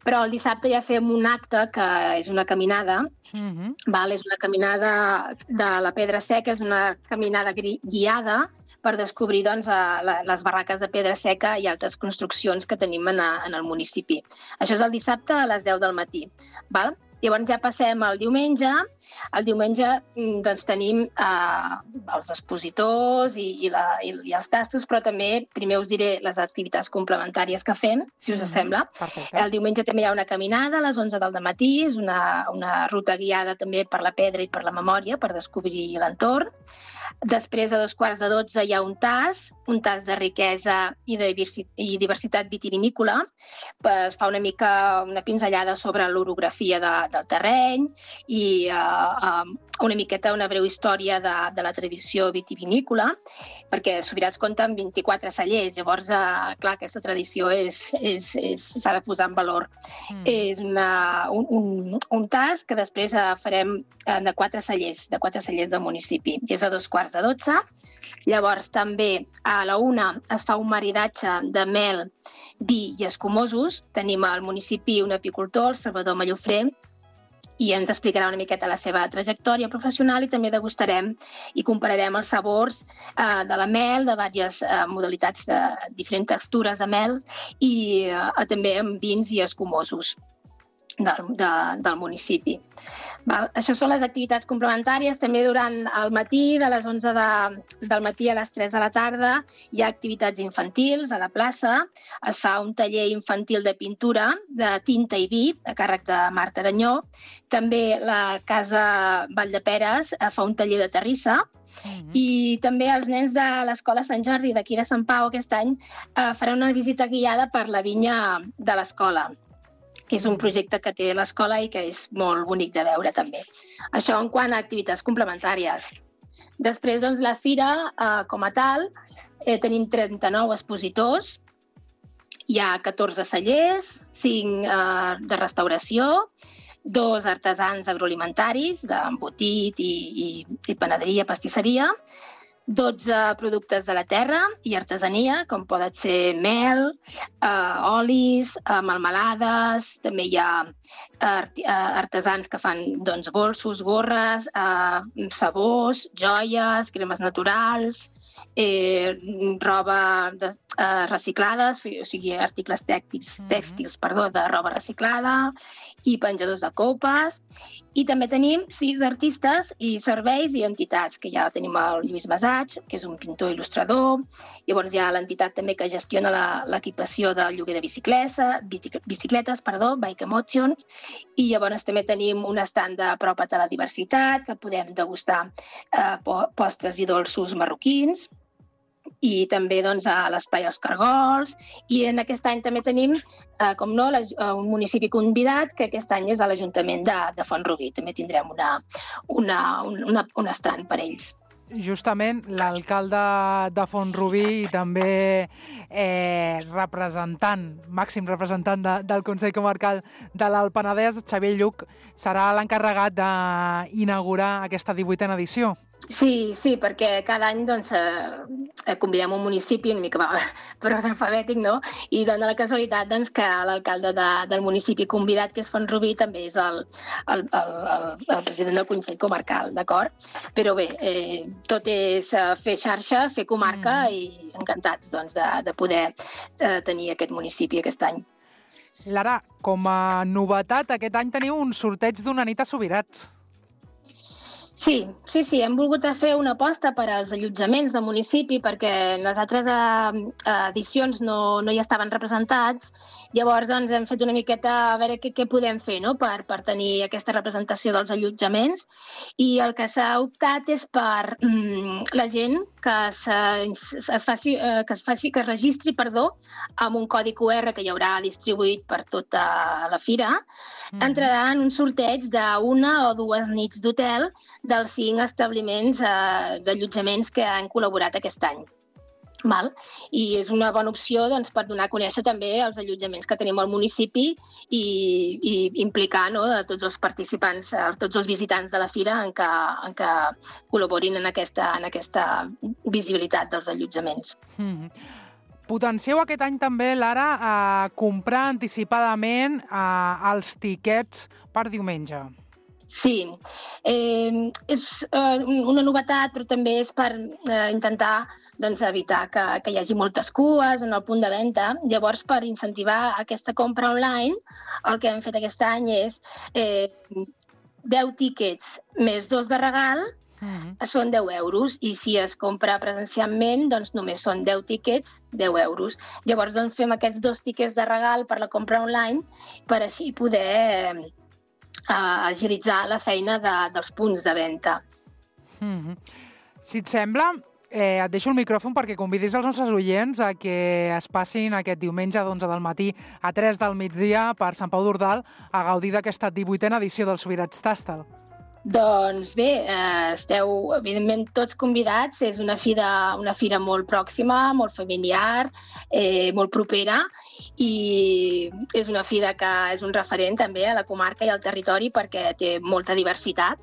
però el dissabte ja fem un acte que és una caminada. Mhm. Val? És una caminada de la Pedra Seca, és una caminada gui- guiada per descobrir doncs, a la, les barraques de pedra seca i altres construccions que tenim en, a, en el municipi. Això és el dissabte a les deu del matí. Val? Llavors ja passem al diumenge. El diumenge mm, doncs, tenim eh, els expositors i, i, la, i, i els tastos, però també primer us diré les activitats complementàries que fem, si us sembla. Perfecte. El diumenge també hi ha una caminada a les onze del matí, és una, una ruta guiada també per la pedra i per la memòria, per descobrir l'entorn. Després, a dos quarts de dotze, hi ha un tas, un tas de riquesa i, de diversi- i diversitat vitivinícola. Es fa una mica una pinzellada sobre l'orografia de, del terreny i uh, uh, una miqueta una breu història de, de la tradició vitivinícola, perquè Subirats compta amb vint-i-quatre cellers, llavors, uh, clar, aquesta tradició és, és, és, s'ha de posar en valor. Mm. És una, un, un, un tas que després uh, farem uh, de quatre cellers, de quatre cellers del municipi. I és a dos quarts de dotze. Llavors, també a la una es fa un maridatge de mel, vi i escumosos. Tenim al municipi un apicultor, el Salvador Mallofré, i ens explicarà una miqueta la seva trajectòria professional i també degustarem i compararem els sabors eh, de la mel, de diverses eh, modalitats de diferents textures de mel i eh, també amb vins i escumosos del, de, del municipi. Val? Això són les activitats complementàries. També durant el matí, de les onze de, del matí a les tres de la tarda, hi ha activitats infantils a la plaça. Es fa un taller infantil de pintura, de tinta i vi, a càrrec de Marta Aranyó. També la Casa Valldeperes fa un taller de terrissa. Mm-hmm. I també els nens de l'Escola Sant Jordi d'aquí de Sant Pau aquest any eh, faran una visita guiada per la vinya de l'escola, que és un projecte que té l'escola i que és molt bonic de veure també. Això en quant a activitats complementàries. Després, doncs, la fira, eh, com a tal, eh, tenim trenta-nou expositors, hi ha catorze cellers, cinc eh, de restauració, dos artesans agroalimentaris d'embotit i, i, i panaderia, pastisseria, dotze productes de la terra i artesania, com poden ser mel, eh, olis, eh, melmelades, també hi ha art artesans que fan doncs, bolsos, gorres, eh, sabors, joies, cremes naturals, eh, roba de, eh, reciclades, o sigui, articles tèxtils, tèxtils perdó, de roba reciclada i penjadors de copes. I també tenim sis artistes i serveis i entitats, que ja tenim el Lluís Masaig, que és un pintor il·lustrador. Llavors hi ha l'entitat també que gestiona l'equipació del lloguer de bicicleta, bicicletes, perdó, Bike Emotions. I llavors també tenim un estand de Apropa't a la diversitat, que podem degustar eh, postres i dolços marroquins. I també doncs, a l'Espai Els Cargols. I en aquest any també tenim, eh, com no, la, un municipi convidat, que aquest any és a l'Ajuntament de, de Font-rubí. També tindrem una, una, una, un estand per ells. Justament l'alcalde de Font-rubí i també eh, representant, màxim representant de, del Consell Comarcal de l'Alt Penedès, Xavier Lluc, serà l'encarregat d'inaugurar aquesta divuitena edició. Sí, sí, perquè cada any doncs, eh, convidem un municipi una mica per ordre alfabètic, no? I dona la casualitat doncs, que l'alcalde de, del municipi convidat, que és Font-rubí, també és el, el, el, el, el president del Consell Comarcal, d'acord? Però bé, eh, tot és fer xarxa, fer comarca mm. i encantats doncs, de, de poder eh, tenir aquest municipi aquest any. Lara, com a novetat, aquest any teniu un sorteig d'una nit a Subirats. Sí, sí, sí, hem volgut fer una aposta per als allotjaments del municipi perquè en les altres eh, edicions no, no hi estaven representats. Llavors doncs, hem fet una miqueta a veure què, què podem fer, no? per, per tenir aquesta representació dels allotjaments. I el que s'ha optat és per mm, la gent que, es faci, eh, que es faci, que es registri, perdó, amb un codi cu erre que hi haurà distribuït per tota la fira. Mm. Entrarà en un sorteig d'una o dues nits d'hotel dels cinc establiments eh, d'allotjaments que han col·laborat aquest any. Val? I és una bona opció doncs, per donar a conèixer també els allotjaments que tenim al municipi i, i implicar, no, a tots els participants, a tots els visitants de la fira en què, en què col·laborin en aquesta, en aquesta visibilitat dels allotjaments. Mm. Potencieu aquest any també, Lara, a comprar anticipadament a, els tiquets per diumenge. Sí, eh, és eh, una novetat, però també és per eh, intentar doncs, evitar que, que hi hagi moltes cues en el punt de venda. Llavors, per incentivar aquesta compra online, el que hem fet aquest any és eh, deu tíquets més dos de regal, mm-hmm. són deu euros, i si es compra presencialment, doncs només són deu tíquets, deu euros. Llavors, doncs, fem aquests dos tíquets de regal per la compra online per així poder eh, agilitzar la feina de, dels punts de venda. Mm-hmm. Si et sembla, Eh, et deixo el micròfon perquè convidis els nostres oients a que es passin aquest diumenge d'onze del matí a tres del migdia per Sant Pau d'Ordal a gaudir d'aquesta divuitena edició del Sobirats Tàstal. Doncs bé, eh, esteu evidentment tots convidats. És una fira, una fira molt pròxima, molt familiar, eh, molt propera, i és una fira que és un referent també a la comarca i al territori perquè té molta diversitat.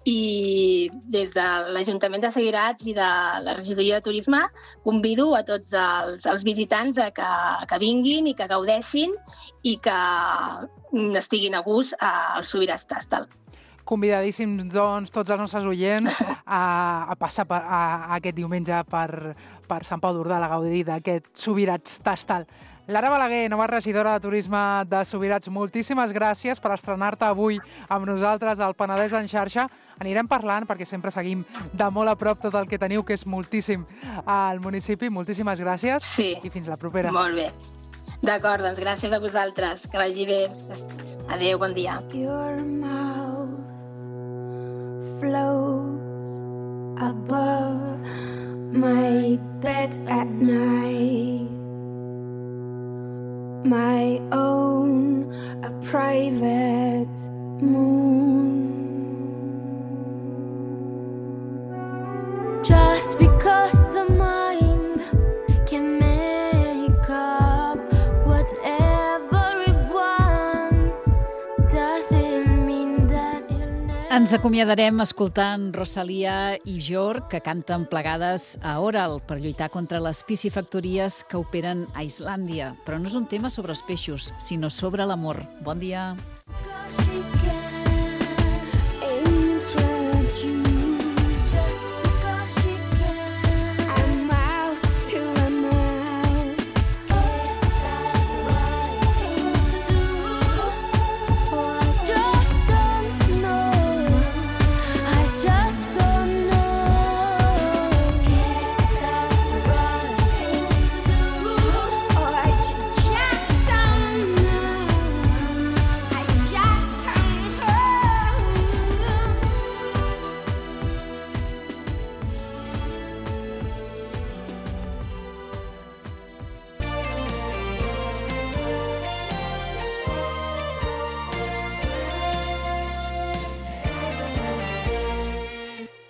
I des de l'Ajuntament de Subirats i de la Regidoria de Turisme convido a tots els, els visitants a que, a que vinguin i que gaudeixin i que estiguin a gust al Subirats Tàstal. Convidadíssims, doncs, tots els nostres oients a, a passar per, a, a aquest diumenge per, per Sant Pau d'Ordal a gaudir d'aquest Subirats Tàstal. Lara Balaguer, nova regidora de Turisme de Subirats, moltíssimes gràcies per estrenar-te avui amb nosaltres al Penedès en xarxa. Anirem parlant perquè sempre seguim de molt a prop tot el que teniu, que és moltíssim al municipi. Moltíssimes gràcies sí. I fins la propera. Molt bé. D'acord, doncs gràcies a vosaltres. Que vagi bé. Adéu, bon dia. Your mouth floats above my bed at night. My own, a private moon. Just because the mind can make up whatever it wants, doesn't mean that it'll never... Ens acomiadarem escoltant Rosalia i Björk, que canten plegades a Oral per lluitar contra les piscifactories que operen a Islàndia. Però no és un tema sobre els peixos, sinó sobre l'amor. Bon dia.